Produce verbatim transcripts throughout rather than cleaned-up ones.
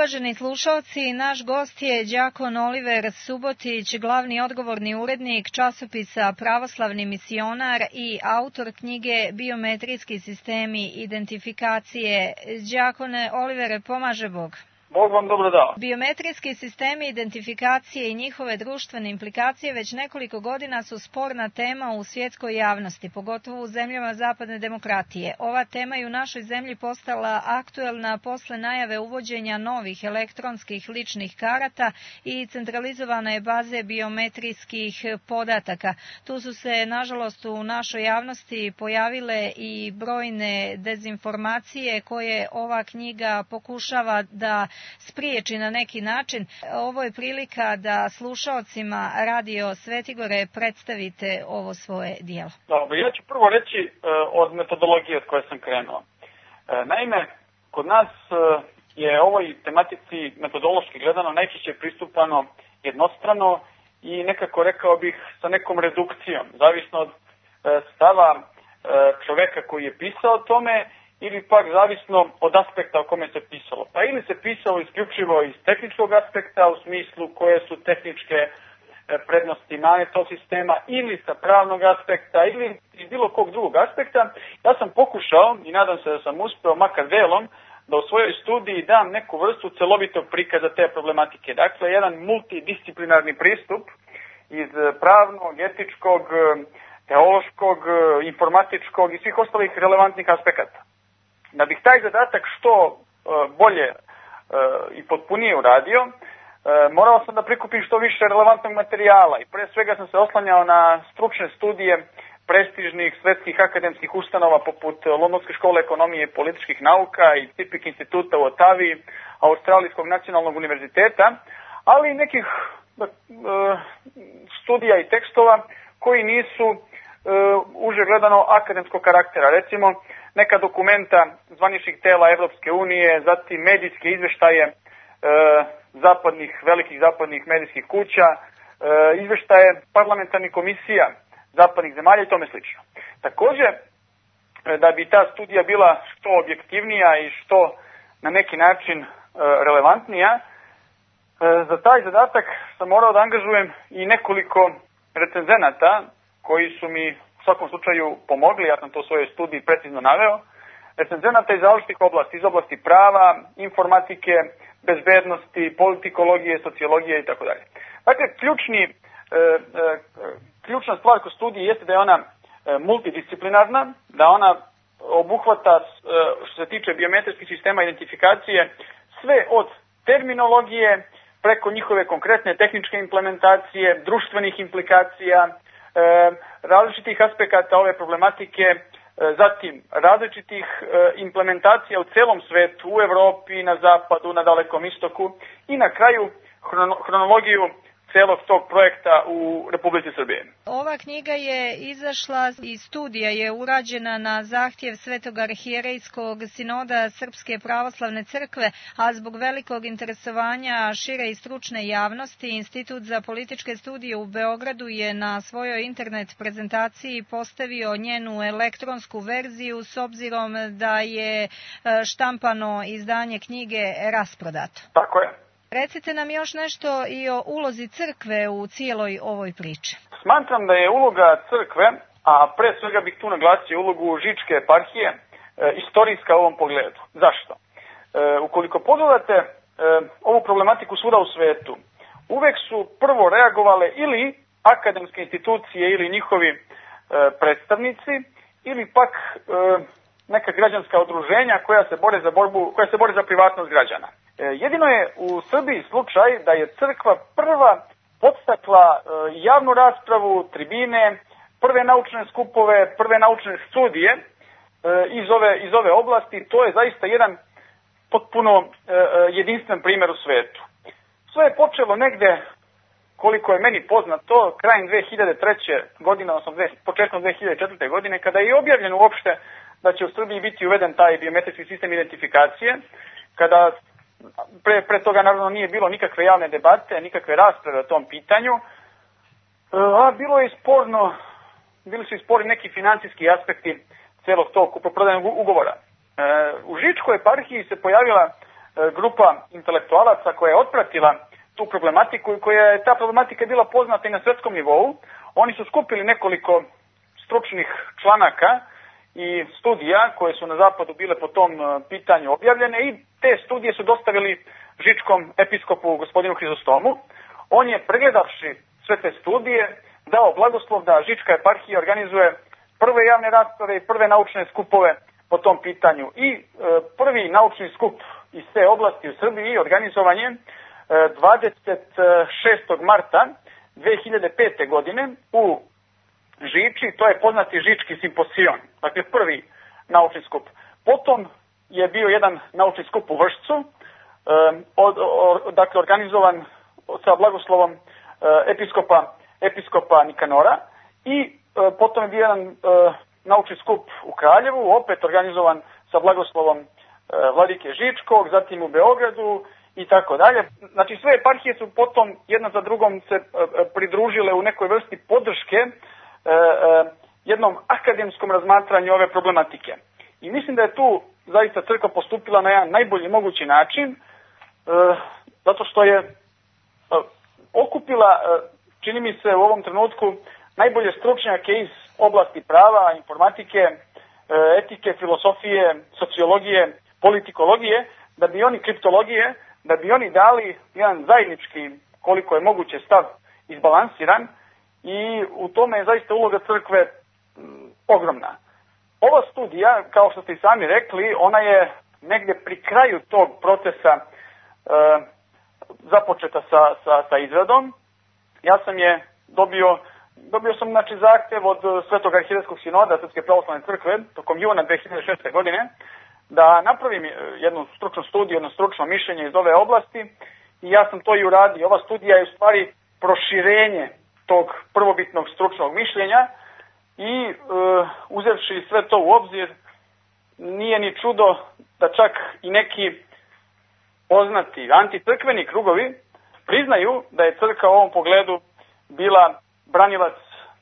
Uvaženi slušalci, naš gost je đakon Oliver Subotić, glavni odgovorni urednik časopisa Pravoslavni misionar i autor knjige Biometrijski sistemi identifikacije. Đakone Olivere, pomaže Bog. Bog vam dobro dao. Biometrijski sistemi identifikacije i njihove društvene implikacije već nekoliko godina su sporna tema u svjetskoj javnosti, pogotovo u zemljama zapadne demokratije. Ova tema je u našoj zemlji postala aktuelna posle najave uvođenja novih elektronskih ličnih karata i centralizovane baze biometrijskih podataka. Tu su se, nažalost, u našoj javnosti pojavile i brojne dezinformacije koje ova knjiga pokušava da spriječi na neki način. Ovo je prilika da slušaocima Radio Svetigore predstavite ovo svoje dijelo. Dobro, ja ću prvo reći uh, od metodologije od koje sam krenuo. Uh, naime, kod nas uh, je ovoj tematici metodološki gledano najčešće pristupano jednostrano i nekako rekao bih sa nekom redukcijom, zavisno od uh, stava uh, čoveka koji je pisao o tome ili pak zavisno od aspekta o kome se pisalo. Pa ili se pisalo isključivo iz tehničkog aspekta, u smislu koje su tehničke prednosti mane tog sistema, ili sa pravnog aspekta, ili iz bilo kog drugog aspekta. Ja sam pokušao, i nadam se da sam uspeo, makar delom, da u svojoj studiji dam neku vrstu celovitog prikaza te problematike. Dakle, jedan multidisciplinarni pristup iz pravnog, etičkog, teološkog, informatičkog i svih ostalih relevantnih aspekata. Da bih taj zadatak što bolje i potpunije uradio, morao sam da prikupim što više relevantnog materijala i pre svega sam se oslanjao na stručne studije prestižnih svetskih akademskih ustanova poput Londonske škole ekonomije i političkih nauka i Tipik instituta u Otavi, Australijskog nacionalnog univerziteta, ali i nekih studija i tekstova koji nisu uže gledano akademskog karaktera. Recimo, neka dokumenta zvaničnih tela Evropske unije, zatim medijske izveštaje e, zapadnih, velikih zapadnih medijskih kuća, e, izveštaje parlamentarnih komisija zapadnih zemalja i tome slično. Takođe, da bi ta studija bila što objektivnija i što na neki način e, relevantnija, e, za taj zadatak sam morao da angažujem i nekoliko recenzenata koji su mi u svakom slučaju pomogli, ja sam to u svojoj studiji precizno naveo, recenzenata iz različitih oblasti, iz oblasti prava, informatike, bezbednosti, politikologije, sociologije itd. Dakle, ključni, e, e, ključna stvar kod studije jeste da je ona e, multidisciplinarna, da ona obuhvata, e, što se tiče biometrijskih sistema identifikacije, sve od terminologije preko njihove konkretne tehničke implementacije, društvenih implikacija, E, različitih aspekata ove problematike, e, zatim različitih e, implementacija u celom svetu, u Evropi, na zapadu, na Dalekom istoku i na kraju hrono, hronologiju celog tog projekta u Republici Srbije. Ova knjiga je izašla i studija je urađena na zahtjev Svetog arhijerejskog sinoda Srpske pravoslavne crkve, a zbog velikog interesovanja šire i stručne javnosti, Institut za političke studije u Beogradu je na svojoj internet prezentaciji postavio njenu elektronsku verziju s obzirom da je štampano izdanje knjige rasprodato. Tako je. Recite nam još nešto i o ulozi crkve u cijeloj ovoj priči. Smatram da je uloga crkve, a pre svega bih tu naglasio ulogu Žičke eparhije, e, istorijska u ovom pogledu. Zašto? E, ukoliko pogledate e, ovu problematiku svuda u svetu, uvek su prvo reagovale ili akademske institucije ili njihovi e, predstavnici, ili pak e, neka građanska udruženja koja se bore za borbu, koja se bore za privatnost građana. Jedino je u Srbiji slučaj da je crkva prva podstakla javnu raspravu, tribine, prve naučne skupove, prve naučne studije iz ove, iz ove oblasti. To je zaista jedan potpuno jedinstven primjer u svetu. Sve je počelo negde, koliko je meni poznato, krajem dve hiljade treće. godine, odnosno početkom dve hiljade četvrte. godine, kada je objavljeno uopšte da će u Srbiji biti uveden taj biometrijski sistem identifikacije, kada Pre, pre toga naravno nije bilo nikakve javne debate, nikakve rasprave o tom pitanju, a bilo je sporno, bili su i sporni neki financijski aspekti celog tog kupoprodajnog ugovora. U Žičkoj eparhiji se pojavila grupa intelektualaca koja je otpratila tu problematiku i koja je ta problematika bila poznata i na svetskom nivou. Oni su skupili nekoliko stručnih članaka i studija koje su na zapadu bile po tom pitanju objavljene i te studije su dostavili žičkom episkopu gospodinu Hrizostomu. On je, pregledavši sve te studije, dao blagoslov da žička eparhija organizuje prve javne rasprave i prve naučne skupove po tom pitanju. I e, prvi naučni skup iz te oblasti u Srbiji organizovan je e, dvadeset šestog marta dve hiljade pete. godine u Žiči, to je poznati Žički simposion, dakle prvi naučni skup. Potom je bio jedan naučni skup u Vršcu, e, od, o, dakle organizovan sa blagoslovom e, episkopa, episkopa Nikanora i e, potom je bio jedan e, naučni skup u Kraljevu, opet organizovan sa blagoslovom e, vladike Žičkog, zatim u Beogradu i tako dalje. Znači sve eparhije su potom jedna za drugom se e, pridružile u nekoj vrsti podrške e, e, jednom akademskom razmatranju ove problematike. I mislim da je tu zaista crkva postupila na jedan najbolji mogući način, e, zato što je e, okupila, e, čini mi se u ovom trenutku, najbolje stručnjake iz oblasti prava, informatike, e, etike, filosofije, sociologije, politikologije, da bi oni kriptologije, da bi oni dali jedan zajednički, koliko je moguće, stav izbalansiran i u tome je zaista uloga crkve m, ogromna. Ova studija, kao što ste i sami rekli, ona je negdje pri kraju tog procesa e, započeta sa, sa, sa izradom. Ja sam je dobio, dobio sam znači zahtjev od Svetog arhijerejskog sinoda Srpske pravoslavne crkve tokom juna dve hiljade šeste. godine da napravim jednu stručnu studiju, jedno stručno mišljenje iz ove oblasti i ja sam to i uradio. Ova studija je u stvari proširenje tog prvobitnog stručnog mišljenja i e, uzevši sve to u obzir, nije ni čudo da čak i neki poznati anticrkveni krugovi priznaju da je crkva u ovom pogledu bila branilac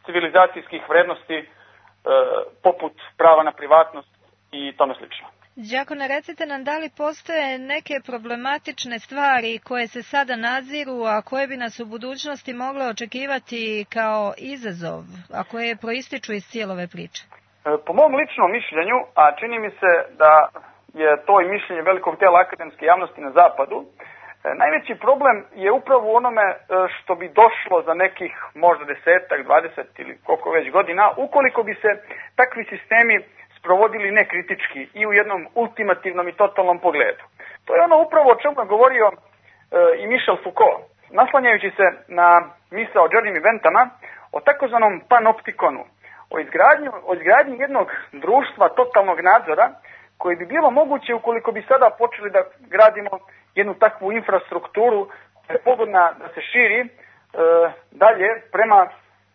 civilizacijskih vrednosti e, poput prava na privatnost i tome slično. Đakone, recite nam da li postoje neke problematične stvari koje se sada nadziru, a koje bi nas u budućnosti mogle očekivati kao izazov, a koje proističu iz cijelove priče? Po mom ličnom mišljenju, a čini mi se da je to i mišljenje velikog tela akademske javnosti na zapadu, najveći problem je upravo u onome što bi došlo za nekih možda desetak, dvadeset ili koliko već godina, ukoliko bi se takvi sistemi provodili nekritički i u jednom ultimativnom i totalnom pogledu. To je ono upravo o čemu je govorio e, i Michel Foucault, naslanjajući se na misao o Jeremy Bentama o takozvanom panoptikonu, o izgradnju, o izgradnji jednog društva totalnog nadzora koji bi bilo moguće ukoliko bi sada počeli da gradimo jednu takvu infrastrukturu koja je pogodna da se širi e, dalje prema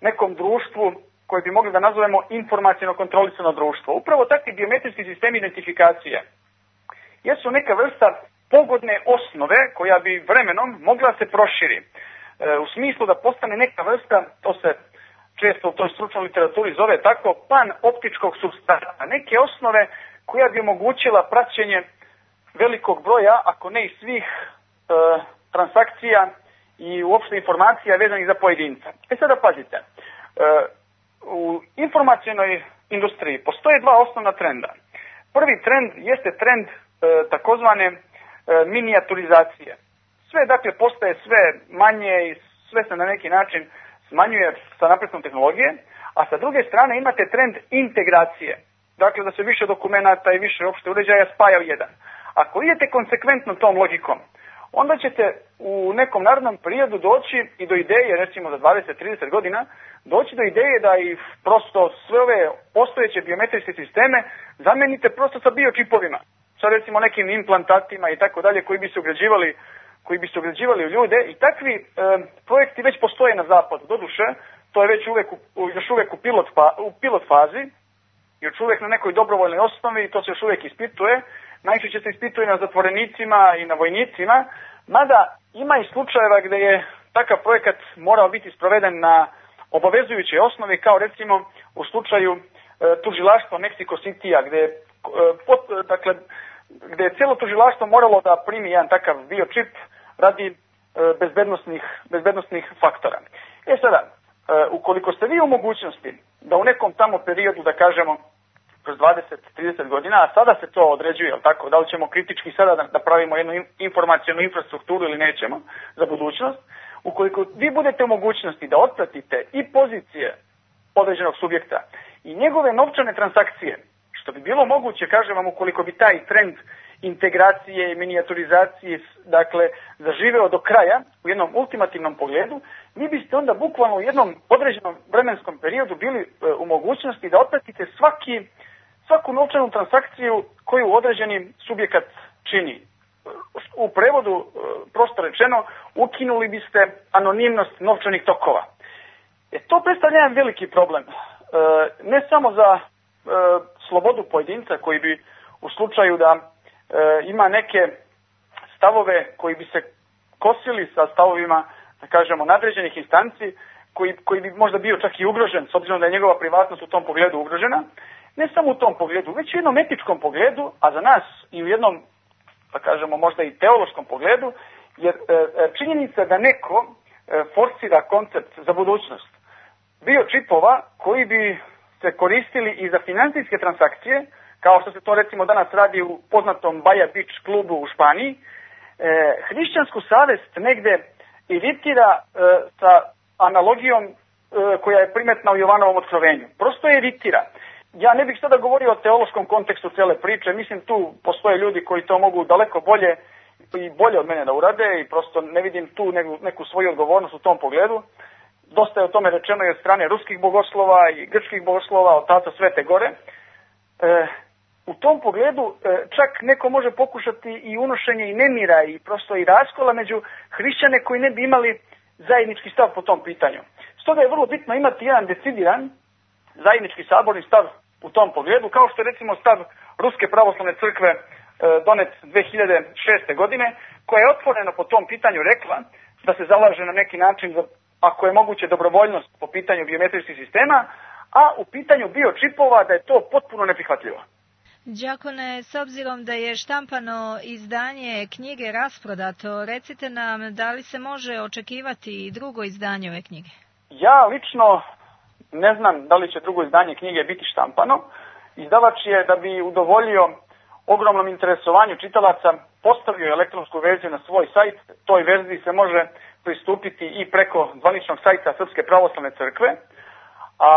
nekom društvu koje bi mogli da nazovemo informacijno kontrolisano društvo. Upravo takvi biometrijski sistemi identifikacije jesu neka vrsta pogodne osnove koja bi vremenom mogla se proširi. E, u smislu da postane neka vrsta, to se često u toj stručnoj literaturi zove tako, panoptičkog supstrata. Neke osnove koja bi omogućila praćenje velikog broja, ako ne i svih e, transakcija i uopšte informacija vezanih za pojedinca. E sada pazite, e, u informacionoj industriji postoje dva osnovna trenda. Prvi trend jeste trend e, takozvane e, minijaturizacije. Sve dakle postaje sve manje i sve se na neki način smanjuje sa napretkom tehnologije, a sa druge strane imate trend integracije. Dakle da se više dokumenata i više opšte uređaja spaja u jedan. Ako idete konsekventno tom logikom, onda ćete u nekom narednom periodu doći i do ideje, recimo za dvadeset do trideset godina, doći do ideje da i prosto sve ove postojeće biometrijske sisteme zamenite prosto sa biočipovima, sa recimo nekim implantatima i tako dalje koji bi se ugrađivali, koji bi se ugrađivali u ljude i takvi e, projekti već postoje na zapadu. Doduše, to je već uvek u, još uvek u pilot, fa, u pilot fazi, još uvek na nekoj dobrovoljnoj osnovi i to se još uvek ispituje. Najčešće se ispituje na zatvorenicima i na vojnicima, mada ima i slučajeva gde je takav projekat morao biti sproveden na obavezujuće osnovi, kao recimo u slučaju e, tužilaštva Mexico City-a, gde je e, pot, dakle, gde je cijelo tužilaštvo moralo da primi jedan takav biočip radi e, bezbednosnih, bezbednosnih faktora. E sada, e, ukoliko ste vi u mogućnosti da u nekom tamo periodu, da kažemo, kroz dvadeset do trideset godina, a sada se to određuje, jel tako, da li ćemo kritički sada da, da pravimo jednu informacijonu infrastrukturu ili nećemo za budućnost, ukoliko vi budete u mogućnosti da otpratite i pozicije određenog subjekta i njegove novčane transakcije, što bi bilo moguće, kažem vam, ukoliko bi taj trend integracije i minijaturizacije, dakle, zaživeo do kraja u jednom ultimativnom pogledu, vi biste onda bukvalno u jednom određenom vremenskom periodu bili e, u mogućnosti da otpratite svaki, svaku novčanu transakciju koju određeni subjekat čini. U prevodu, e, prosto rečeno, ukinuli biste anonimnost novčanih tokova. E, to predstavlja jedan veliki problem. E, ne samo za e, slobodu pojedinca koji bi u slučaju da e, ima neke stavove koji bi se kosili sa stavovima, da kažemo, nadređenih instanci, koji, koji bi možda bio čak i ugrožen, s obzirom da je njegova privatnost u tom pogledu ugrožena, ne samo u tom pogledu, već u jednom etičkom pogledu, a za nas i u jednom, da kažemo, možda i teološkom pogledu, jer e, činjenica da neko e, forsira koncept za budućnost biočipova koji bi se koristili i za finansijske transakcije, kao što se to recimo danas radi u poznatom Baja Beach klubu u Španiji, e, hrišćansku savest negde iritira e, sa analogijom e, koja je primetna u Jovanovom otkrovenju. Prosto je iritira. Ja ne bih sada govorio o teološkom kontekstu cele priče, mislim tu postoje ljudi koji to mogu daleko bolje i bolje od mene da urade i prosto ne vidim tu neku, neku svoju odgovornost u tom pogledu. Dosta je o tome rečeno i od strane ruskih bogoslova i grčkih bogoslova, od Taca Svete Gore. E, u tom pogledu e, čak neko može pokušati i unošenje i nemira i prosto i raskola među hrišćane koji ne bi imali zajednički stav po tom pitanju. Stoga je vrlo bitno imati jedan decidiran zajednički saborni stav u tom pogledu, kao što je recimo stav Ruske pravoslavne crkve e, donet dve hiljade šeste. godine, koja je otvoreno po tom pitanju rekla da se zalaže na neki način za, ako je moguće, dobrovoljnost po pitanju biometrijskih sistema, a u pitanju biočipova da je to potpuno neprihvatljivo. Đakone, s obzirom da je štampano izdanje knjige rasprodato, recite nam da li se može očekivati drugo izdanje ove knjige? Ja lično ne znam da li će drugo izdanje knjige biti štampano. Izdavač je, da bi udovoljio ogromnom interesovanju čitalaca, postavio elektronsku verziju na svoj sajt. Toj verziji se može pristupiti i preko zvaničnog sajta Srpske pravoslavne crkve. A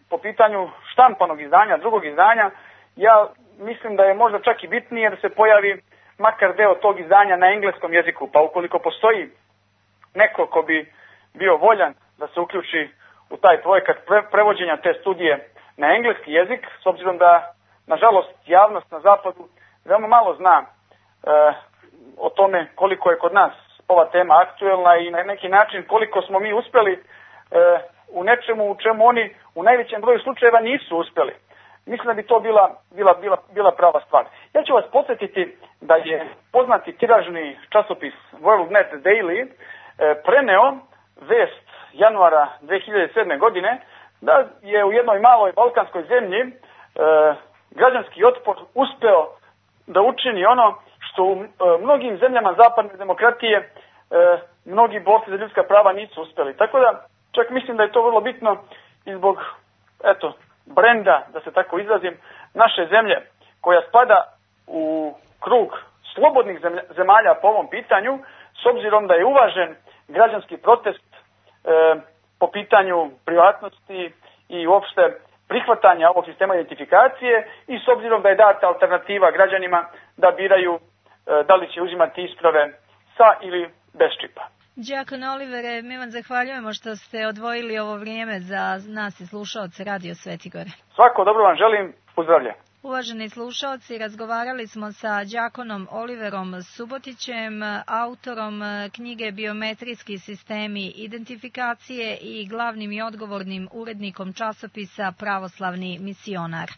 po pitanju štampanog izdanja, drugog izdanja, ja mislim da je možda čak i bitnije da se pojavi makar deo tog izdanja na engleskom jeziku. Pa ukoliko postoji neko ko bi bio voljan da se uključi u taj projekat pre, prevođenja te studije na engleski jezik, s obzirom da, nažalost, javnost na zapadu veoma malo zna e, o tome koliko je kod nas ova tema aktuelna i na neki način koliko smo mi uspeli e, u nečemu u čemu oni u najvećem broju slučajeva nisu uspeli. Mislim da bi to bila, bila, bila, bila prava stvar. Ja ću vas podsjetiti da je poznati tiražni časopis WorldNet Daily e, preneo vest januara dve hiljade sedme. godine da je u jednoj maloj balkanskoj zemlji e, građanski otpor uspeo da učini ono što u e, mnogim zemljama zapadne demokratije e, mnogi borci za ljudska prava nisu uspeli. Tako da čak mislim da je to vrlo bitno i zbog, eto, brenda, da se tako izrazim, naše zemlje koja spada u krug slobodnih zemalja po ovom pitanju, s obzirom da je uvažen građanski protest e, po pitanju privatnosti i uopšte prihvatanja ovog sistema identifikacije i s obzirom da je data alternativa građanima da biraju e, da li će uzimati isprave sa ili bez čipa. Đakone Olivere, mi vam zahvaljujemo što ste odvojili ovo vrijeme za nas i slušaoce Radio Sveti Gore. Svako dobro vam želim, pozdravlja. Uvaženi slušaoci, razgovarali smo sa đakonom Oliverom Subotićem, autorom knjige Biometrijski sistemi identifikacije i glavnim i odgovornim urednikom časopisa Pravoslavni misionar.